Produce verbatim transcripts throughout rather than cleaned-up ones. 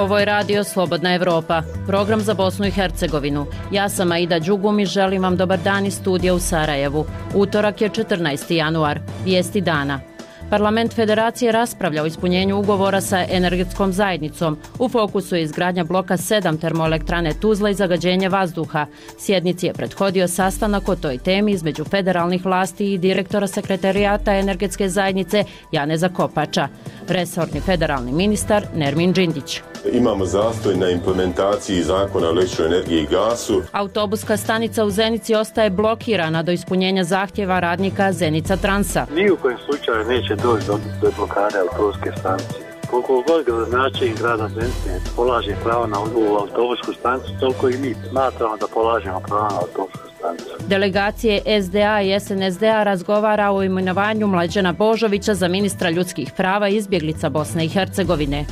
Ovo je radio Slobodna Evropa, program za Bosnu i Hercegovinu. Ja sam Aida Đugum i želim vam dobar dan iz studija u Sarajevu. Utorak je četrnaesti januar, vijesti dana. Parlament Federacije raspravlja o ispunjenju ugovora sa energetskom zajednicom. U fokusu je izgradnja bloka sedam termoelektrane Tuzla i zagađenje vazduha. Sjednici je prethodio sastanak o toj temi između federalnih vlasti i direktora sekretarijata energetske zajednice Janeza Kopača. Resorni federalni ministar Nermin Džindić. Imamo zastoj na implementaciji zakona o električnoj energiji i gasu. Autobuska stanica u Zenici ostaje blokirana do ispunjenja zahtjeva radnika Zenica Transa. Ni u kojem slučaju neće doći do, do blokade autobuske stanice. Koliko god gradonačelnik grada Zenice polaže pravo na u autobusku stanicu, toliko i mi smatramo da polažemo pravo na autobusku stanicu. Delegacije S D A i S N S D A razgovara o imenovanju Mlađana Božovića za ministra ljudskih prava i izbjeglica Bosne i Hercegovine.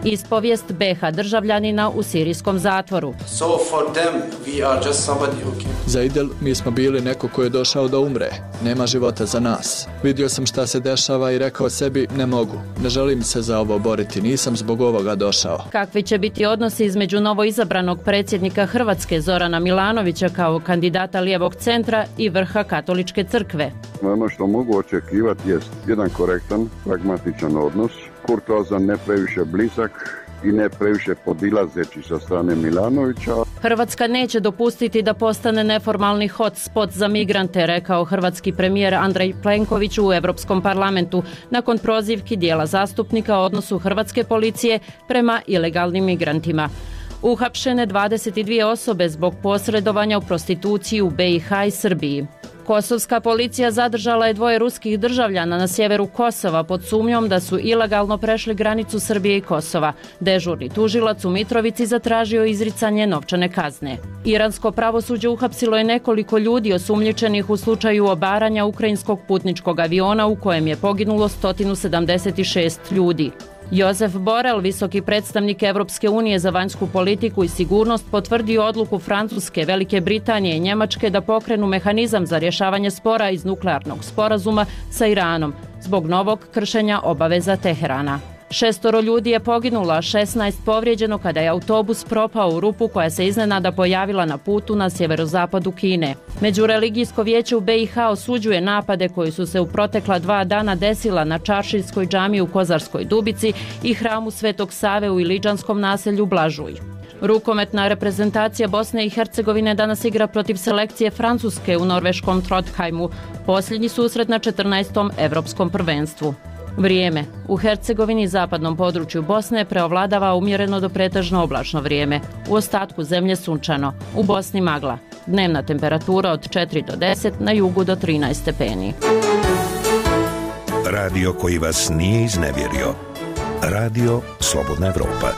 Ispovijest B H državljanina u sirijskom zatvoru. So for them we are just somebody who can... Za Idel mi smo bili neko ko je došao da umre. Nema života za nas. Vidio sam šta se dešava i rekao sebi ne mogu. Ne želim se za ovo boriti. Nisam zbog ovoga došao. Kakvi će biti odnosi između novoizabranog predsjednika Hrvatske Zorana Milanovića kao kandidata lijevog centra i vrha katoličke crkve? Ono što mogu očekivati jest jedan korektan, pragmatičan odnos, kurtoazan, ne previše blizak i ne previše podilazeći sa strane Milanovića. Hrvatska neće dopustiti da postane neformalni hotspot za migrante, rekao hrvatski premijer Andrej Plenković u Europskom parlamentu nakon prozivki dijela zastupnika o odnosu hrvatske policije prema ilegalnim migrantima. Uhapšene dvadeset dvije osobe zbog posredovanja u prostituciji u B i H i Srbiji. Kosovska policija zadržala je dvoje ruskih državljana na sjeveru Kosova pod sumnjom da su ilegalno prešli granicu Srbije i Kosova. Dežurni tužilac u Mitrovici zatražio izricanje novčane kazne. Iransko pravosuđe uhapsilo je nekoliko ljudi osumnjičenih u slučaju obaranja ukrajinskog putničkog aviona u kojem je poginulo sto sedamdeset šest ljudi. Josef Borel, visoki predstavnik Evropske unije za vanjsku politiku i sigurnost, potvrdio odluku Francuske, Velike Britanije i Njemačke da pokrenu mehanizam za rješavanje spora iz nuklearnog sporazuma sa Iranom zbog novog kršenja obaveza Teherana. Šestoro ljudi je poginulo, a šesnaest povrijeđeno kada je autobus propao u rupu koja se iznenada pojavila na putu na sjeverozapadu Kine. Međureligijsko vijeće u B i H osuđuje napade koji su se u protekla dva dana desila na Čaršijskoj džamiji u Kozarskoj Dubici i hramu Svetog Save u ilidžanskom naselju Blažuj. Rukometna reprezentacija Bosne i Hercegovine danas igra protiv selekcije Francuske u norveškom Trondheimu, posljednji susret na četrnaestom Evropskom prvenstvu. Vrijeme. U Hercegovini i zapadnom području Bosne preovladava umjereno do pretežno oblačno vrijeme. U ostatku zemlje sunčano. U Bosni magla. Dnevna temperatura od četiri do deset, na jugu do trinaest stepeni. Radio koji vas nije iznevjerio. Radio Slobodna Evropa.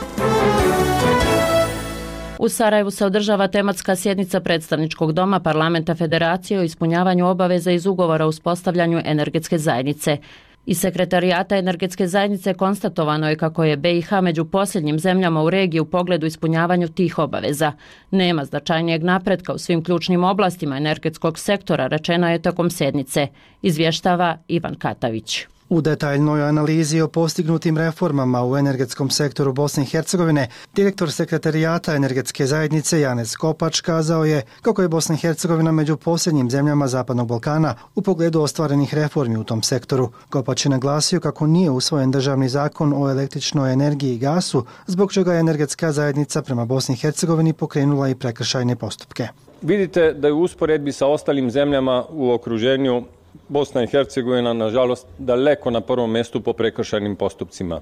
U Sarajevu se održava tematska sjednica predstavničkog doma Parlamenta Federacije o ispunjavanju obaveza iz ugovora o uspostavljanju energetske zajednice. Iz sekretarijata energetske zajednice konstatovano je kako je B i H među posljednjim zemljama u regiji u pogledu ispunjavanju tih obaveza. Nema značajnijeg napretka u svim ključnim oblastima energetskog sektora, rečeno je tokom sjednice, izvještava Ivan Katavić. U detaljnoj analizi o postignutim reformama u energetskom sektoru Bosne i Hercegovine, direktor sekretarijata energetske zajednice Janez Kopač kazao je kako je Bosna i Hercegovina među posljednjim zemljama Zapadnog Balkana u pogledu ostvarenih reformi u tom sektoru. Kopač je naglasio kako nije usvojen državni zakon o električnoj energiji i gasu, zbog čega je energetska zajednica prema Bosni i Hercegovini pokrenula i prekršajne postupke. Vidite da je u usporedbi sa ostalim zemljama u okruženju Bosna i Hercegovina, nažalost, daleko na prvom mjestu po prekršajnim postupcima.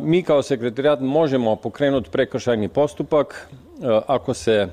Mi kao sekretarijat možemo pokrenuti prekršajni postupak ako se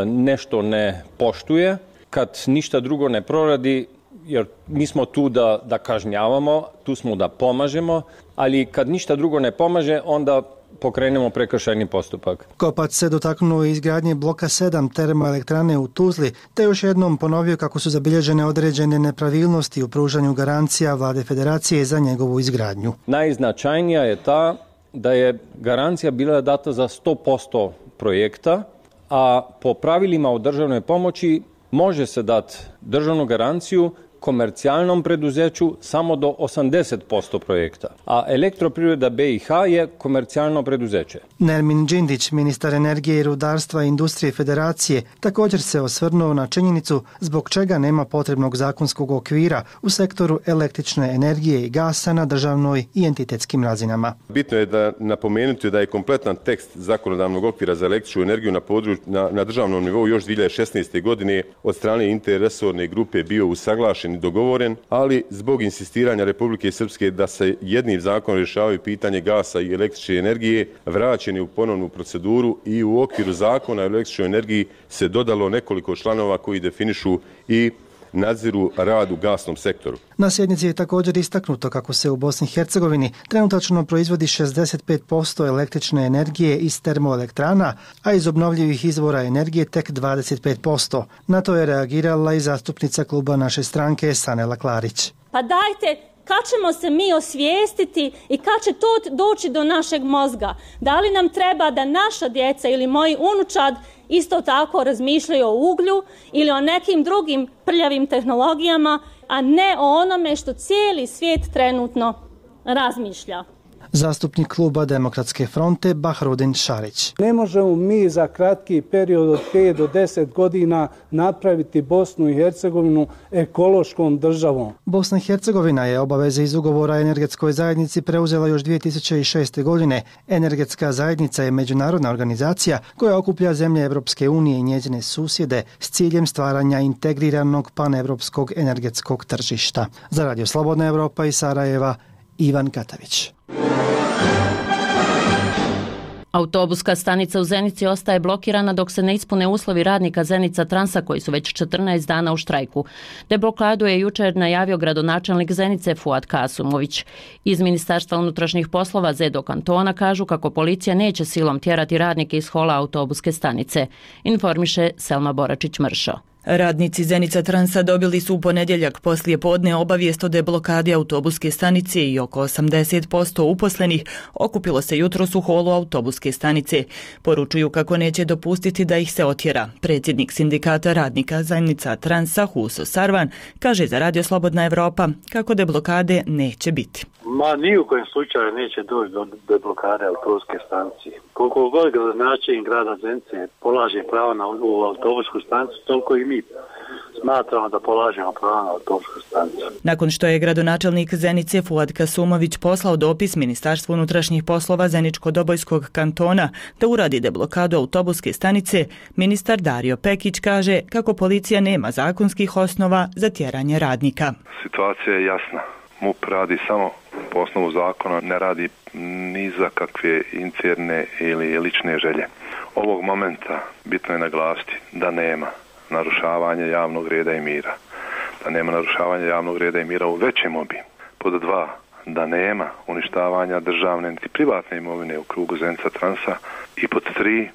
nešto ne poštuje, kad ništa drugo ne proradi, jer mi smo tu da, da kažnjavamo, tu smo da pomažemo, ali kad ništa drugo ne pomaže, onda pokrenemo prekršajni postupak. Kopač se dotaknuo izgradnje bloka sedam termoelektrane u Tuzli, te još jednom ponovio kako su zabilježene određene nepravilnosti u pružanju garancija Vlade Federacije za njegovu izgradnju. Najznačajnija je ta da je garancija bila data za sto posto projekta, a po pravilima o državnoj pomoći može se dati državnu garanciju komercijalnom preduzeću samo do osamdeset posto projekta, a Elektroprivreda B i H je komercijalno preduzeće. Nermin Đindić, ministar energije i rudarstva i industrije Federacije, također se osvrnuo na činjenicu zbog čega nema potrebnog zakonskog okvira u sektoru električne energije i gasa na državnoj i entitetskim razinama. Bitno je da napomenuti da je kompletan tekst zakonodavnog okvira za električnu energiju na, područ, na, na državnom nivou još dvije hiljade šesnaeste. godine od strane interresorne grupe bio usaglašen i dogovoren, ali zbog insistiranja Republike Srpske da se jednim zakonom rješavaju pitanje gasa i električne energije, vraćen je u ponovnu proceduru i u okviru zakona o električnoj energiji se dodalo nekoliko članova koji definišu i nadziru rad u gasnom sektoru. Na sjednici je također istaknuto kako se u Bosni i Hercegovini trenutačno proizvodi šezdeset pet posto električne energije iz termoelektrana, a iz obnovljivih izvora energije tek dvadeset pet posto. Na to je reagirala i zastupnica kluba naše stranke Sanela Klarić. Pa dajte, kad ćemo se mi osvijestiti i kad će to doći do našeg mozga? Da li nam treba da naša djeca ili moji unučad isto tako razmišljaju o uglju ili o nekim drugim prljavim tehnologijama, a ne o onome što cijeli svijet trenutno razmišlja? Zastupnik kluba Demokratske fronte Bahrudin Šarić. Ne možemo mi za kratki period od pet do deset godina napraviti Bosnu i Hercegovinu ekološkom državom. Bosna i Hercegovina je obaveze iz ugovora o energetskoj zajednici preuzela još dvije tisuće šeste. godine. Energetska zajednica je međunarodna organizacija koja okuplja zemlje Evropske unije i njezine susjede s ciljem stvaranja integriranog panevropskog energetskog tržišta. Za Radio Slobodna Evropa iz Sarajeva, Ivan Katavić. Autobuska stanica u Zenici ostaje blokirana dok se ne ispune uslovi radnika Zenica Transa koji su već četrnaest dana u štrajku. Deblokadu je jučer najavio gradonačelnik Zenice Fuad Kasumović. Iz Ministarstva unutrašnjih poslova Zedo kantona kažu kako policija neće silom tjerati radnike iz hola autobuske stanice. Informiše Selma Boračić-Mršo. Radnici Zenica Transa dobili su u ponedjeljak poslije podne obavijest o deblokadi autobuske stanice i oko osamdeset posto uposlenih okupilo se jutros u holu autobuske stanice. Poručuju kako neće dopustiti da ih se otjera. Predsjednik sindikata radnika Zenica Transa Huso Sarvan kaže za Radio Slobodna Evropa kako deblokade neće biti. Ma ni u kojem slučaju neće doći do deblokade autobuske stanice. Koliko god gradonačelnik grada Zenice polaže pravo na u autobusku stanicu, toliko i mi smatramo da polažemo pravo na autobusku stanicu. Nakon što je gradonačelnik Zenice Fuad Kasumović poslao dopis Ministarstvu unutrašnjih poslova Zeničko-Dobojskog kantona da uradi deblokadu autobuske stanice, ministar Dario Pekić kaže kako policija nema zakonskih osnova za tjeranje radnika. Situacija je jasna. M U P radi samo po osnovu zakona, ne radi ni za kakve interne ili lične želje. Ovog momenta bitno je naglasiti da nema narušavanja javnog reda i mira. Da nema narušavanja javnog reda i mira u većem obimu. Pod dva, da nema uništavanja državne niti privatne imovine u krugu Zenica Transa. I pod tri,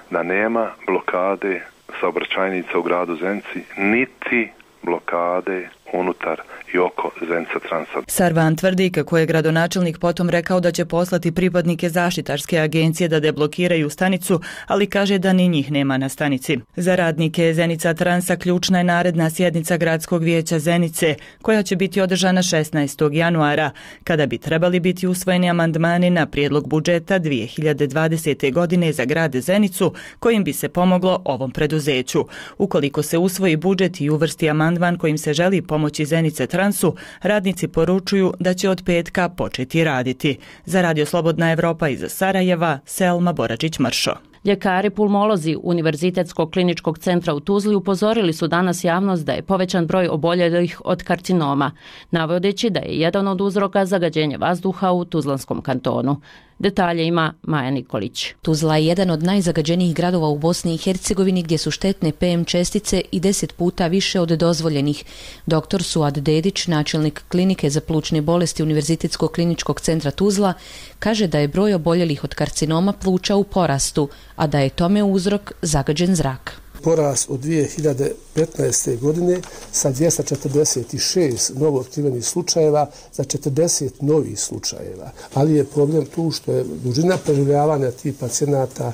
da nema blokade saobraćajnica u gradu Zenici, niti blokade unutar i oko Zenica Transa. Sarvan tvrdi kako je gradonačelnik potom rekao da će poslati pripadnike zaštitarske agencije da deblokiraju stanicu, ali kaže da ni njih nema na stanici. Za radnike Zenica Transa ključna je naredna sjednica Gradskog vijeća Zenice, koja će biti održana šesnaestog januara, kada bi trebali biti usvojeni amandmani na prijedlog budžeta dvije hiljade dvadesete. godine za grad Zenicu, kojim bi se pomoglo ovom preduzeću. Ukoliko se usvoji budžet i uvrsti amandman kojim se želi pomoći Zenice Transu, radnici poručuju da će od petka početi raditi. Za Radio Slobodna Evropa iz Sarajeva, Selma Boračić-Mršo. Ljekari pulmolozi Univerzitetskog kliničkog centra u Tuzli upozorili su danas javnost da je povećan broj oboljelih od karcinoma, navodeći da je jedan od uzroka zagađenja vazduha u Tuzlanskom kantonu. Detalje ima Maja Nikolić. Tuzla je jedan od najzagađenijih gradova u Bosni i Hercegovini gdje su štetne P M čestice i deset puta više od dozvoljenih. Doktor Suad Dedić, načelnik klinike za plućne bolesti Univerzitetskog kliničkog centra Tuzla, kaže da je broj oboljelih od karcinoma pluća u porastu, a da je tome uzrok zagađen zrak. porast od dvije hiljade petnaeste. godine sa dvjesto četrdeset šest novo otkrivenih slučajeva za četrdeset novih slučajeva. Ali je problem tu što je dužina preživljavanja tih pacijenata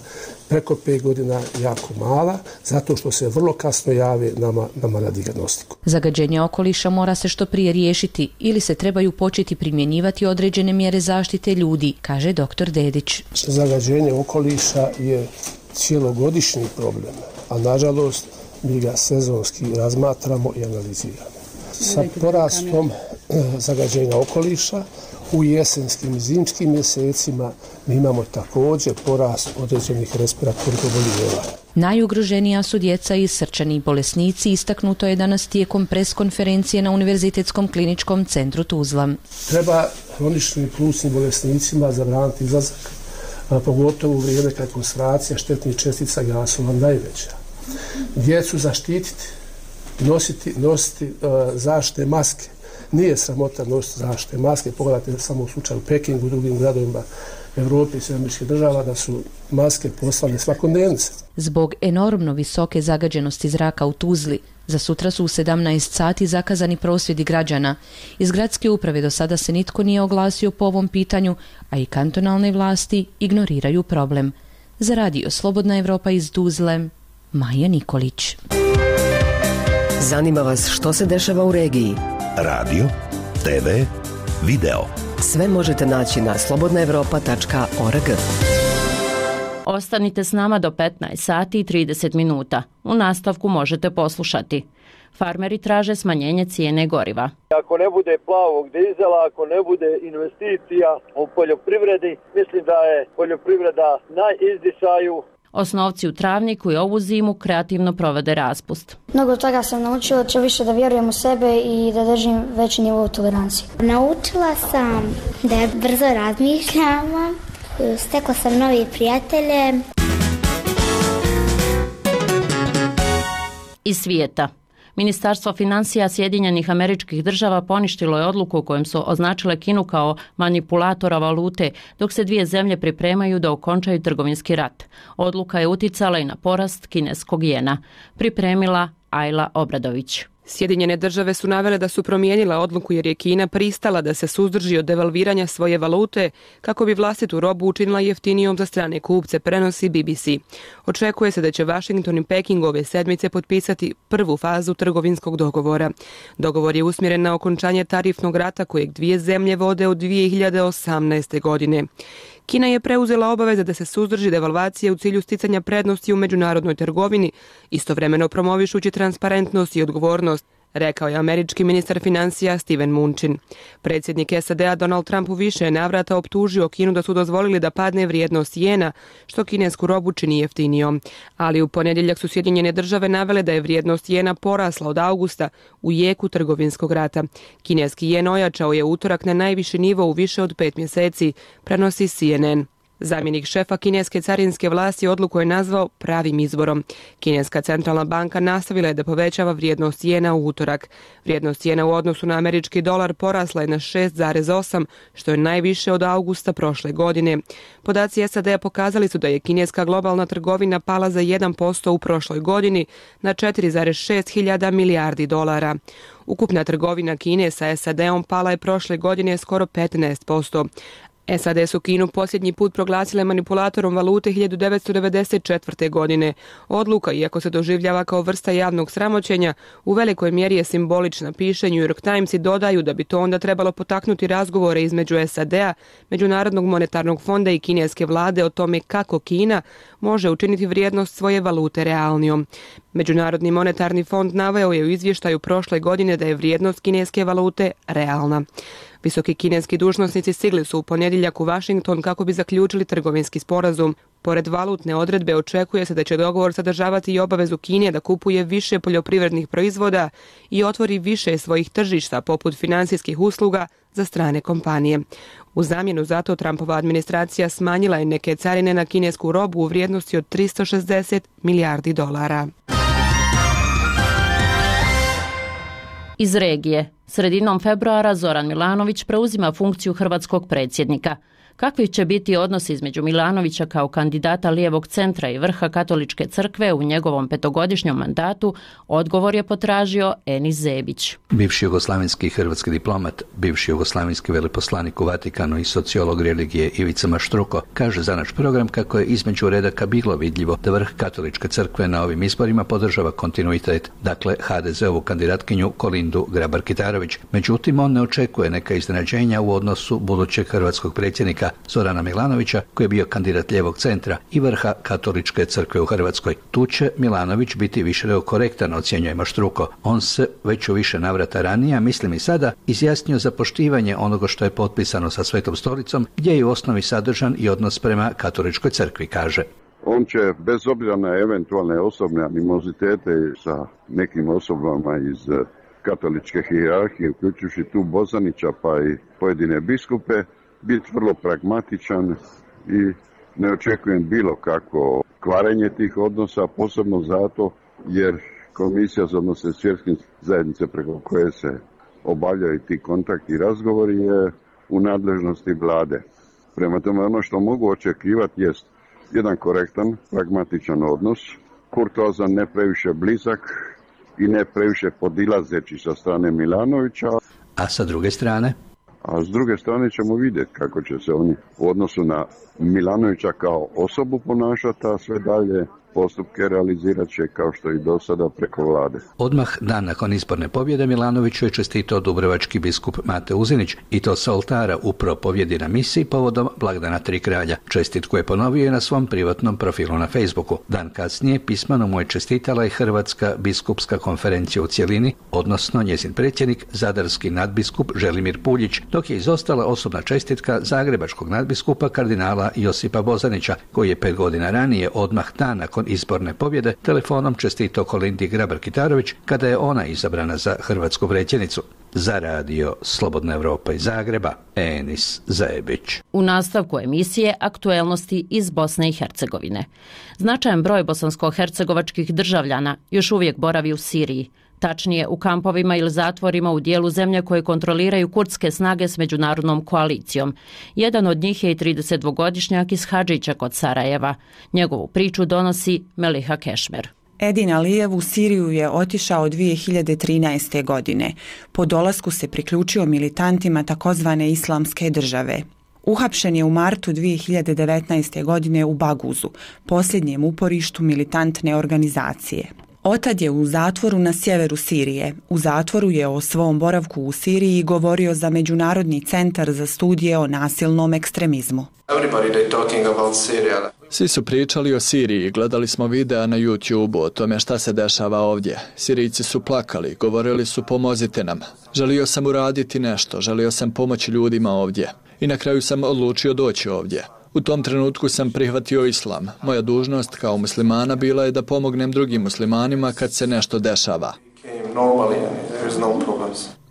preko pet godina jako mala, zato što se vrlo kasno jave nama, nama na dijagnostiku. Zagađenje okoliša mora se što prije riješiti ili se trebaju početi primjenjivati određene mjere zaštite ljudi, kaže doktor Dedić. Zagađenje okoliša je cijelogodišnji problem, a nažalost mi ga sezonski razmatramo i analiziramo. Sa porastom zagađenja okoliša u jesenskim i zimskim mjesecima mi imamo također porast određenih respiratornih oboljenja. Najugroženija su djeca i srčani bolesnici, istaknuto je danas tijekom pres konferencije na Univerzitetskom kliničkom centru Tuzla. Treba hroničnim plućnim bolesnicima zabraniti izlazak, pogotovo u vrijeme kad je koncentracija štetnih čestica gasova najveća. Djecu zaštititi, nositi, nositi uh, zaštite maske. Nije sramota nositi zaštite maske. Pogledajte samo u slučaju Pekingu i drugim gradovima Evrope i Sjedinjenih država da su maske poslane svakodnevnice. Zbog enormno visoke zagađenosti zraka u Tuzli, za sutra su u sedamnaest sati zakazani prosvjedi građana. Iz gradske uprave do sada se nitko nije oglasio po ovom pitanju, a i kantonalne vlasti ignoriraju problem. Za radio Slobodna Evropa iz Tuzle, Maja Nikolić. Zanima vas što se dešava u regiji? Radio, te ve, video. Sve možete naći na slobodna evropa tačka org. Ostanite s nama do petnaest sati i trideset minuta. U nastavku možete poslušati. Farmeri traže smanjenje cijene goriva. Ako ne bude plavog dizela, ako ne bude investicija u poljoprivredi, mislim da je poljoprivreda na izdisaju. Osnovci u Travniku i ovu zimu kreativno provode raspust. Mnogo toga sam naučila, će više da vjerujem u sebe i da držim veći nivo tolerancije. Naučila sam da brzo razmišljam, stekla sam nove prijatelje. Iz svijeta. Ministarstvo financija Sjedinjenih Američkih Država poništilo je odluku u kojem su označile Kinu kao manipulatora valute, dok se dvije zemlje pripremaju da okončaju trgovinski rat. Odluka je uticala i na porast kineskog jena. Pripremila Ajla Obradović. Sjedinjene države su navele da su promijenila odluku jer je Kina pristala da se suzdrži od devalviranja svoje valute kako bi vlastitu robu učinila jeftinijom za strane kupce, prenosi B B C. Očekuje se da će Washington i Peking ove sedmice potpisati prvu fazu trgovinskog dogovora. Dogovor je usmjeren na okončanje tarifnog rata kojeg dvije zemlje vode od dvije hiljade osamnaeste. godine. Kina je preuzela obaveze da se suzdrži devalvacije u cilju sticanja prednosti u međunarodnoj trgovini, istovremeno promovišući transparentnost i odgovornost, rekao je američki ministar financija Steven Mnuchin. Predsjednik S A D-a Donald Trump u više navrata optužio Kinu da su dozvolili da padne vrijednost jena, što kinesku robu čini jeftinijom. Ali u ponedjeljak su Sjedinjene države navele da je vrijednost jena porasla od augusta u jeku trgovinskog rata. Kineski jen ojačao je utorak na najviši nivo u više od pet mjeseci, prenosi C N N. Zamjenik šefa kineske carinske vlasti odluku je nazvao pravim izborom. Kineska centralna banka nastavila je da povećava vrijednost jena u utorak. Vrijednost jena u odnosu na američki dolar porasla je na šest zarez osam, što je najviše od augusta prošle godine. Podaci S A D-a pokazali su da je kineska globalna trgovina pala za jedan posto u prošloj godini na četiri zarez šest hiljada milijardi dolara. Ukupna trgovina Kine sa S A D-om pala je prošle godine skoro petnaest posto. S A D su Kinu posljednji put proglasile manipulatorom valute hiljadu devetsto devedeset četvrte. godine. Odluka, iako se doživljava kao vrsta javnog sramoćenja, u velikoj mjeri je simbolična, piše New York Times i dodaju da bi to onda trebalo potaknuti razgovore između S A D-a, Međunarodnog monetarnog fonda i kineske vlade o tome kako Kina može učiniti vrijednost svoje valute realnijom. Međunarodni monetarni fond naveo je u izvještaju prošle godine da je vrijednost kineske valute realna. Visoki kineski dužnosnici stigli su u ponedjeljak u Washington kako bi zaključili trgovinski sporazum. Pored valutne odredbe očekuje se da će dogovor sadržavati i obavezu Kine da kupuje više poljoprivrednih proizvoda i otvori više svojih tržišta poput financijskih usluga za strane kompanije. U zamjenu za to Trumpova administracija smanjila je neke carine na kinesku robu u vrijednosti od tristo šezdeset milijardi dolara. Iz regije. Sredinom februara Zoran Milanović preuzima funkciju hrvatskog predsjednika. Kakvi će biti odnosi između Milanovića kao kandidata lijevog centra i vrha katoličke crkve u njegovom petogodišnjom mandatu, odgovor je potražio Enis Zebić. Bivši jugoslavenski hrvatski diplomat, bivši jugoslavenski veleposlanik u Vatikanu i sociolog religije Ivica Maštruko kaže za naš program kako je između redaka bilo vidljivo da vrh katoličke crkve na ovim izborima podržava kontinuitet, dakle ha de zeovu kandidatkinju Kolindu Grabar-Kitarović. Međutim, on ne očekuje neka iznenađenja u odnosu budućeg hrvatskog predsjednika Zorana Milanovića, koji je bio kandidat lijevog centra i vrha katoličke crkve u Hrvatskoj. Tu će Milanović biti više korektan, ocjenjuje Maštruko. On se već u više navrata ranije, mislim i sada, izjasnio za poštivanje onoga što je potpisano sa Svetom stolicom, gdje je u osnovi sadržan i odnos prema katoličkoj crkvi, kaže. On će, bez obzira na eventualne osobne animozitete sa nekim osobama iz katoličke hijerarhije, uključujući tu Bozanića pa i pojedine biskupe, biti vrlo pragmatičan i ne očekujem bilo kako kvarenje tih odnosa, posebno zato jer Komisija za odnose s vjerskim zajednice preko koje se obavljaju ti kontakti i razgovori je u nadležnosti vlade. Prema tome, ono što mogu očekivati jest jedan korektan, pragmatičan odnos, kurtoazan, ne previše blizak i ne previše podilazeći sa strane Milanovića. A sa druge strane? A s druge strane ćemo vidjeti kako će se oni u odnosu na Milanovića kao osobu ponašati, a sve dalje postupke realizirat će kao što i do sada preko vlade. Odmah dan nakon izborne pobjede Milanoviću je čestitao dubrovački biskup Mate Uzinić i to sa oltara u propovjedi na misiji povodom blagdana Tri kralja. Čestitku je ponovio i na svom privatnom profilu na Facebooku. Dan kasnije pismeno mu je čestitala i Hrvatska biskupska konferencija u cjelini, odnosno njezin predsjednik, zadarski nadbiskup Želimir Puljić, dok je izostala osobna čestitka zagrebačkog nadbiskupa kardinala Josipa Bozanića, koji je pet godina ranije, odmah dan nakon izborne pobjede, telefonom čestitao Kolindi Grabar-Kitarović kada je ona izabrana za hrvatsku predsjednicu. Za radio Slobodna Evropa iz Zagreba, Enis Zebić. U nastavku emisije aktuelnosti iz Bosne i Hercegovine. Značajan broj bosansko-hercegovačkih državljana još uvijek boravi u Siriji. Tačnije, u kampovima ili zatvorima u dijelu zemlje koje kontroliraju kurdske snage s međunarodnom koalicijom. Jedan od njih je i tridesetdvogodišnjak iz Hadžića kod Sarajeva. Njegovu priču donosi Meliha Kešmer. Edin Alijev u Siriju je otišao dvije hiljade trinaeste. godine. Po dolasku se priključio militantima takozvane islamske države. Uhapšen je u martu dvije hiljade devetnaeste. godine u Baguzu, posljednjem uporištu militantne organizacije. Otad je u zatvoru na sjeveru Sirije. U zatvoru je o svom boravku u Siriji govorio za Međunarodni centar za studije o nasilnom ekstremizmu. Svi su pričali o Siriji, gledali smo videa na YouTube o tome šta se dešava ovdje. Sirijci su plakali, govorili su pomozite nam. Želio sam uraditi nešto, želio sam pomoći ljudima ovdje. I na kraju sam odlučio doći ovdje. U tom trenutku sam prihvatio islam. Moja dužnost kao muslimana bila je da pomognem drugim muslimanima kad se nešto dešava.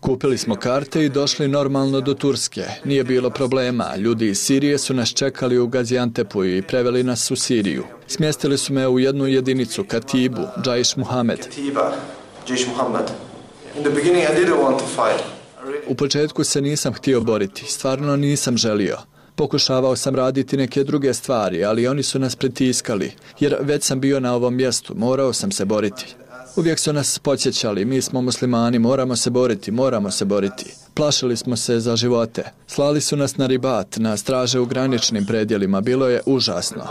Kupili smo karte i došli normalno do Turske. Nije bilo problema. Ljudi iz Sirije su nas čekali u Gaziantepu i preveli nas u Siriju. Smjestili su me u jednu jedinicu, Katibu, Džajš Muhamed. U početku se nisam htio boriti. Stvarno nisam želio. Pokušavao sam raditi neke druge stvari, ali oni su nas pritiskali, jer već sam bio na ovom mjestu, morao sam se boriti. Uvijek su nas podsjećali, mi smo muslimani, moramo se boriti, moramo se boriti. Plašili smo se za živote. Slali su nas na ribat, na straže u graničnim predjelima, bilo je užasno.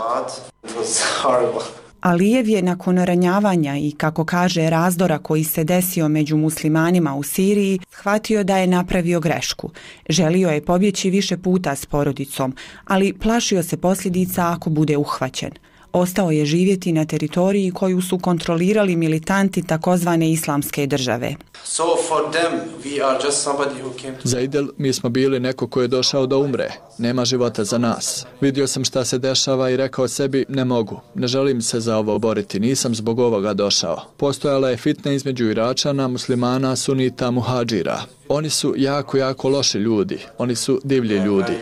Alijev je nakon ranjavanja i, kako kaže, razdora koji se desio među muslimanima u Siriji, shvatio da je napravio grešku. Želio je pobjeći više puta s porodicom, ali plašio se posljedica ako bude uhvaćen. Ostao je živjeti na teritoriji koju su kontrolirali militanti takozvane islamske države. Za Idel mi smo bili neko ko je došao da umre. Nema života za nas. Vidio sam šta se dešava i rekao sebi ne mogu. Ne želim se za ovo boriti. Nisam zbog ovoga došao. Postojala je fitna između Iračana, muslimana, sunita, muhadžira. Oni su jako, jako loši ljudi. Oni su divlji ljudi.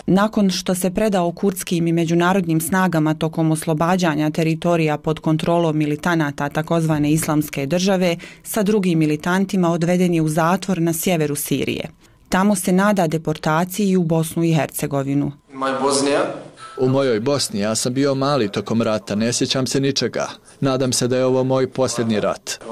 Nakon što se predao kurdskim i međunarodnim snagama tokom oslobađanja teritorija pod kontrolom militanata takozvane islamske države, sa drugim militantima odveden je u zatvor na sjeveru Sirije. Tamo se nada deportaciji u Bosnu i Hercegovinu. U mojoj Bosni ja sam bio mali tokom rata, ne sjećam se ničega. Nadam se da je ovo moj posljednji rat.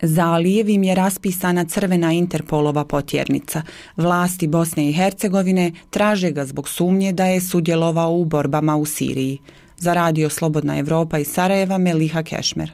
Za Alijevim je raspisana crvena Interpolova potjernica. Vlasti Bosne i Hercegovine traže ga zbog sumnje da je sudjelovao u borbama u Siriji. Za Radio Slobodna Evropa iz Sarajeva, Meliha Kešmer.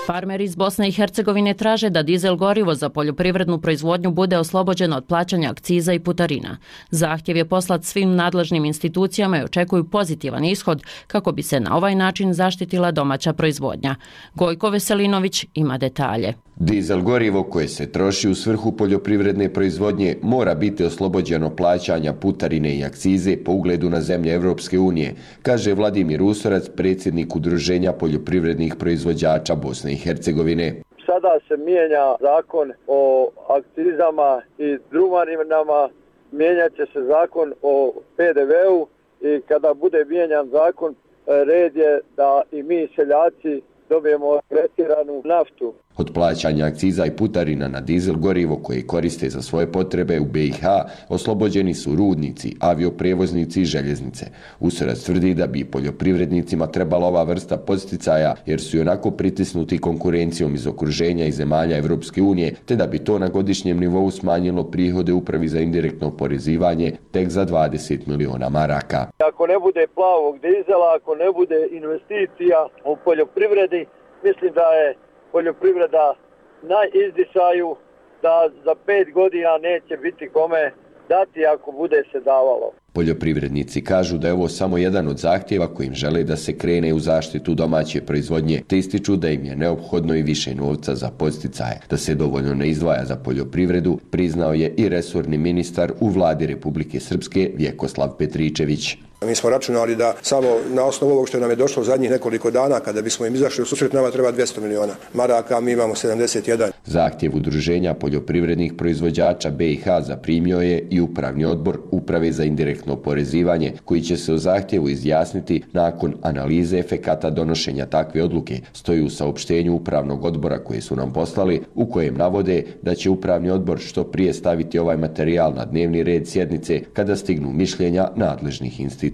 Farmeri iz Bosne i Hercegovine traže da dizel gorivo za poljoprivrednu proizvodnju bude oslobođeno od plaćanja akciza i putarina. Zahtjev je poslat svim nadležnim institucijama i očekuju pozitivan ishod kako bi se na ovaj način zaštitila domaća proizvodnja. Gojko Veselinović ima detalje. Dizel gorivo koje se troši u svrhu poljoprivredne proizvodnje mora biti oslobođeno plaćanja putarine i akcize po ugledu na zemlje Evropske unije, kaže Vladimir Usorac, predsjednik Udruženja poljoprivrednih proizvođača Bosne i Hercegovine. Sada se mijenja zakon o akcizama i drumarinama, mijenjat će se zakon o P D V-u i kada bude mijenjan zakon, red je da i mi seljaci dobijemo tretiranu naftu. Od plaćanja akciza i putarina na dizel gorivo koje koriste za svoje potrebe u B i H oslobođeni su rudnici, avioprevoznici i željeznice. Usorac tvrdi da bi poljoprivrednicima trebala ova vrsta podsticaja jer su i onako pritisnuti konkurencijom iz okruženja i zemalja Evropske unije, te da bi to na godišnjem nivou smanjilo prihode upravi za indirektno oporezivanje tek za dvadeset miliona maraka. Ako ne bude plavog dizela, ako ne bude investicija u poljoprivredi, mislim da je poljoprivreda na izdisaju, da za pet godina neće biti kome dati ako bude se davalo. Poljoprivrednici kažu da je ovo samo jedan od zahtjeva kojim žele da se krene u zaštitu domaće proizvodnje, te ističu da im je neophodno i više novca za podsticaje. Da se dovoljno ne izdvaja za poljoprivredu, priznao je i resorni ministar u vladi Republike Srpske Vjekoslav Petričević. Mi smo računali da samo na osnovu ovog što nam je došlo zadnjih nekoliko dana, kada bismo im izašli u susret, nama treba dvjesto miliona maraka, mi imamo sedamdeset jedan. Zahtjev Udruženja poljoprivrednih proizvođača B i H zaprimio je i Upravni odbor Uprave za indirektno oporezivanje, koji će se o zahtjevu izjasniti nakon analize efekata donošenja takve odluke, stoji u saopštenju Upravnog odbora koje su nam poslali, u kojem navode da će Upravni odbor što prije staviti ovaj materijal na dnevni red sjednice kada stignu mišljenja nadležnih institucija.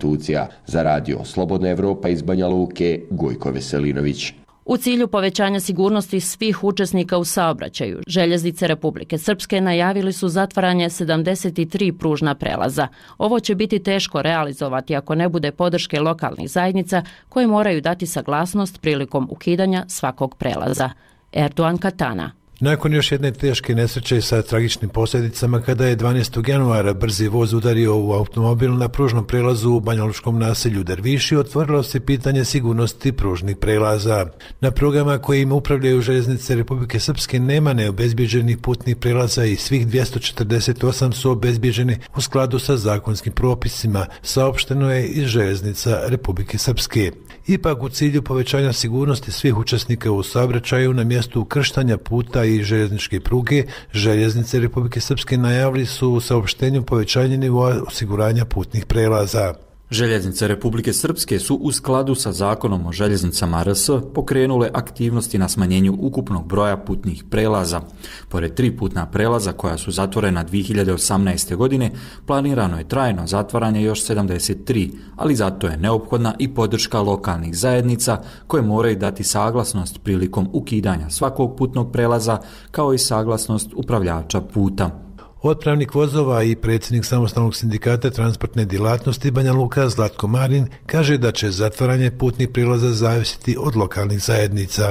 Za Radio Slobodna Evropa iz Banja Luke, Gojko Veselinović. U cilju povećanja sigurnosti svih učesnika u saobraćaju, Željeznice Republike Srpske najavili su zatvaranje sedamdeset tri pružna prelaza. Ovo će biti teško realizovati ako ne bude podrške lokalnih zajednica koje moraju dati saglasnost prilikom ukidanja svakog prelaza. Erdoğan Katana. Nakon još jedne teške nesreće sa tragičnim posljedicama kada je dvanaestog januara brzi voz udario u automobil na pružnom prelazu u banjalučkom naselju Derviši, otvorilo se pitanje sigurnosti pružnih prelaza. Na programa kojim upravljaju Željeznice Republike Srpske nema neobezbjeđenih putnih prelaza i svih dvjesto četrdeset osam su obezbjeđeni u skladu sa zakonskim propisima, saopšteno je iz Željeznica Republike Srpske. Ipak u cilju povećanja sigurnosti svih učesnika u saobraćaju na mjestu ukrštanja puta i željezničke pruge, Željeznice Republike Srpske najavili su u saopštenju povećanje nivoa osiguranja putnih prelaza. Željeznice Republike Srpske su u skladu sa zakonom o željeznicama R S pokrenule aktivnosti na smanjenju ukupnog broja putnih prelaza. Pored tri putna prelaza koja su zatvorena dvije hiljade osamnaeste. godine, planirano je trajno zatvaranje još sedamdeset tri, ali zato je neophodna i podrška lokalnih zajednica koje moraju dati saglasnost prilikom ukidanja svakog putnog prelaza kao i saglasnost upravljača puta. Otpravnik vozova i predsjednik samostalnog sindikata transportne djelatnosti Banja Luka Zlatko Marin kaže da će zatvaranje putnih prilaza zavisiti od lokalnih zajednica.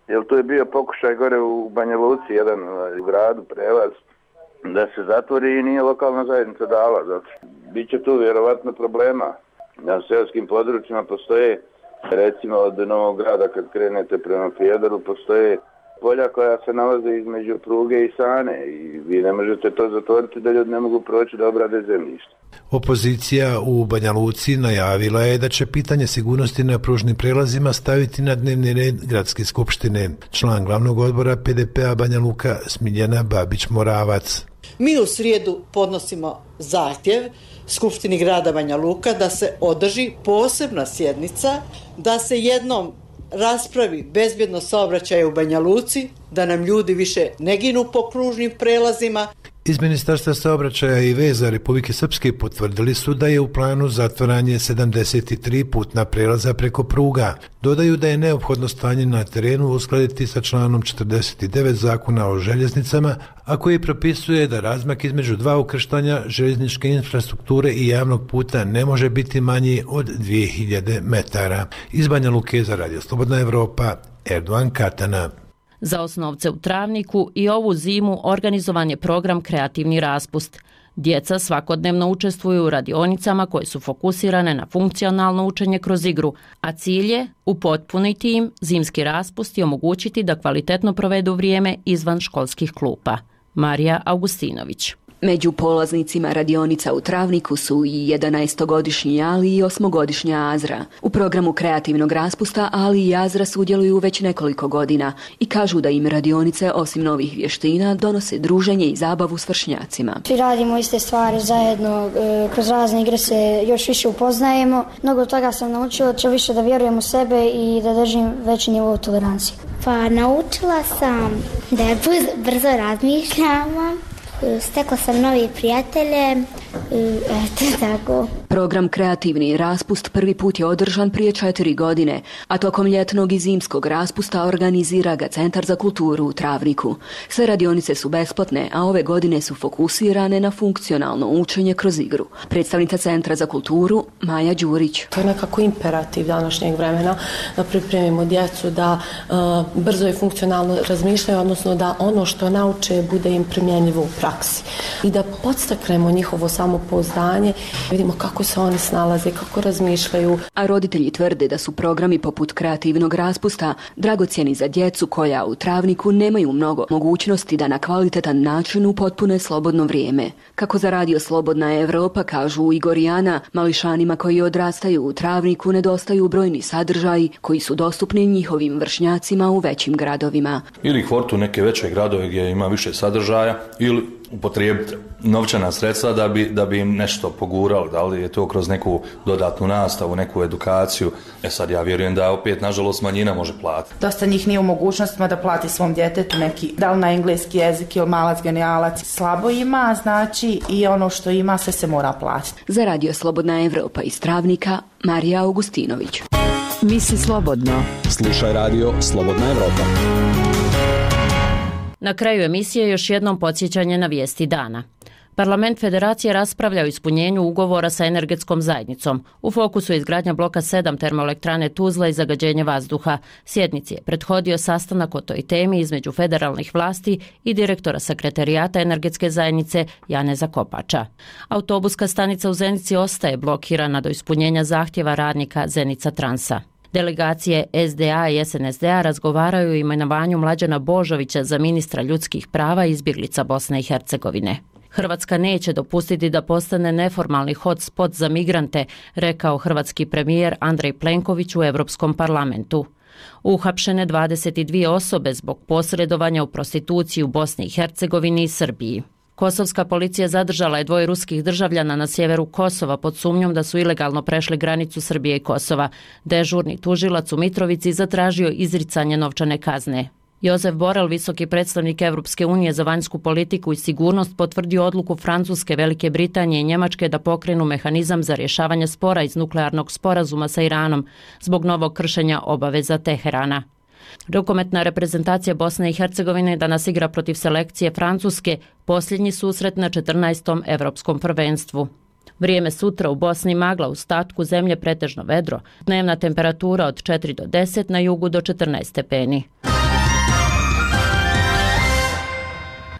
Jer to je bio pokušaj gore u Banja Luci, jedan u gradu prelaz, da se zatvori i nije lokalna zajednica dala. Zato biće tu vjerovatno problema. Na selskim područjima postoje, recimo od Novog Grada kad krenete prema Fjedoru, postoje polja koja se nalaze između pruge i Sane i vi ne možete to zatvoriti da ljudi ne mogu proći da obrade zemljište. Opozicija u Banja Luci najavila je da će pitanje sigurnosti na pružnim prelazima staviti na dnevni red gradske skupštine. Član glavnog odbora P D P-a Banja Luka Smiljana Babić-Moravac. Mi u srijedu podnosimo zahtjev Skupštini grada Banja Luka da se održi posebna sjednica, da se jednom raspravi bezbjednost saobraćaja u Banja Luci, da nam ljudi više ne ginu po kružnim prelazima. Iz Ministarstva saobraćaja i veza Republike Srpske potvrdili su da je u planu zatvaranje sedamdeset tri putna prelaza preko pruga. Dodaju da je neophodno stanje na terenu uskladiti sa članom četrdeset devet Zakona o željeznicama, a koji propisuje da razmak između dva ukrštanja željezničke infrastrukture i javnog puta ne može biti manji od dvije hiljade metara. Iz Banja Luke za Radio Slobodna Evropa, Erdogan Katana. Za osnovce u Travniku i ovu zimu organizovan je program Kreativni raspust. Djeca svakodnevno učestvuju u radionicama koje su fokusirane na funkcionalno učenje kroz igru, a cilj je upotpuniti im zimski raspust i omogućiti da kvalitetno provedu vrijeme izvan školskih klupa. Marija Augustinović. Među polaznicima radionica u Travniku su i jedanaestogodišnji Ali i osmogodišnja Azra. U programu kreativnog raspusta Ali i Azra sudjeluju već nekoliko godina i kažu da im radionice osim novih vještina donose druženje i zabavu s vršnjacima. Svi radimo iste stvari zajedno, kroz razne igre se još više upoznajemo. Mnogo toga sam naučila, će više da vjerujem u sebe i da držim veći nivo tolerancije. Pa naučila sam da brzo razmišljam. Stekla sam novi prijatelje, eto tako. Program Kreativni raspust prvi put je održan prije četiri godine, a tokom ljetnog i zimskog raspusta organizira ga Centar za kulturu u Travniku. Sve radionice su besplatne, a ove godine su fokusirane na funkcionalno učenje kroz igru. Predstavnica Centra za kulturu Maja Đurić. To je nekako imperativ današnjeg vremena da pripremimo djecu da uh, brzo i funkcionalno razmišljaju, odnosno da ono što nauče bude im primjenjivo u praksi i da podstaknemo njihovo samopouzdanje, vidimo kako se oni snalaze, kako razmišljaju. A roditelji tvrde da su programi poput kreativnog raspusta dragocjeni za djecu koja u Travniku nemaju mnogo mogućnosti da na kvalitetan način upotpune slobodno vrijeme. Kako za Radio Slobodna Evropa kažu Igor i Ana, mališanima koji odrastaju u Travniku nedostaju brojni sadržaji koji su dostupni njihovim vršnjacima u većim gradovima. Ili kvortu neke veće gradove gdje ima više sadržaja, ili upotrijebiti novčana sredstva da bi, da bi im nešto pogurali, da li je to kroz neku dodatnu nastavu, neku edukaciju. E sad ja vjerujem da opet nažalost manjina može platiti. Dosta njih nije u mogućnostima da plati svom djetetu neki, da li na engleski jezik ili malac genijalac. Slabo ima, znači i ono što ima sve se mora platiti. Za Radio Slobodna Evropa iz Travnika, Marija Augustinović. Misli slobodno. Slušaj Radio Slobodna Evropa. Na kraju emisije još jednom podsjećanje na vijesti dana. Parlament Federacije raspravlja o ispunjenju ugovora sa energetskom zajednicom. U fokusu je izgradnja bloka sedam termoelektrane Tuzla i zagađenje vazduha. Sjednici je prethodio sastanak o toj temi između federalnih vlasti i direktora sekretarijata energetske zajednice Janeza Kopača. Autobuska stanica u Zenici ostaje blokirana do ispunjenja zahtjeva radnika Zenica Transa. Delegacije S D A i S N S D A razgovaraju o imenovanju Mlađana Božovića za ministra ljudskih prava i izbjeglica Bosne i Hercegovine. Hrvatska neće dopustiti da postane neformalni hotspot za migrante, rekao hrvatski premijer Andrej Plenković u Europskom parlamentu. Uhapšene dvadeset dvije osobe zbog posredovanja u prostituciji u Bosni i Hercegovini i Srbiji. Kosovska policija zadržala je dvoje ruskih državljana na sjeveru Kosova pod sumnjom da su ilegalno prešli granicu Srbije i Kosova. Dežurni tužilac u Mitrovici zatražio izricanje novčane kazne. Josef Borel, visoki predstavnik Europske unije za vanjsku politiku i sigurnost, potvrdio odluku Francuske, Velike Britanije i Njemačke da pokrenu mehanizam za rješavanje spora iz nuklearnog sporazuma sa Iranom zbog novog kršenja obaveza Teherana. Rukometna reprezentacija Bosne i Hercegovine danas igra protiv selekcije Francuske, posljednji susret na četrnaestom Evropskom prvenstvu. Vrijeme sutra u Bosni magla, u ostatku zemlje pretežno vedro. Dnevna temperatura od četiri do deset, na jugu do četrnaest stepeni.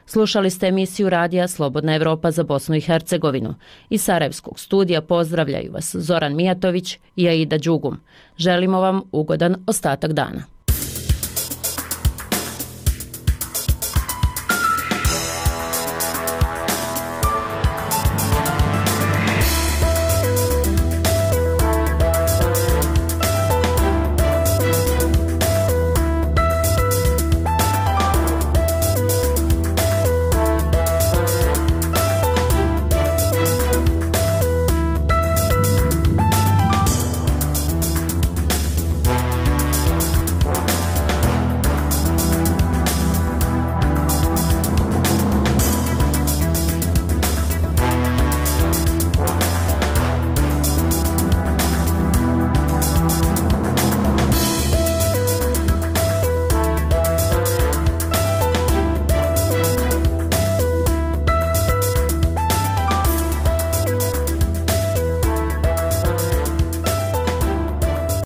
Slušali ste emisiju radija Slobodna Evropa za Bosnu i Hercegovinu. Iz Sarajevskog studija pozdravljaju vas Zoran Mijatović i Aida Đugum. Želimo vam ugodan ostatak dana.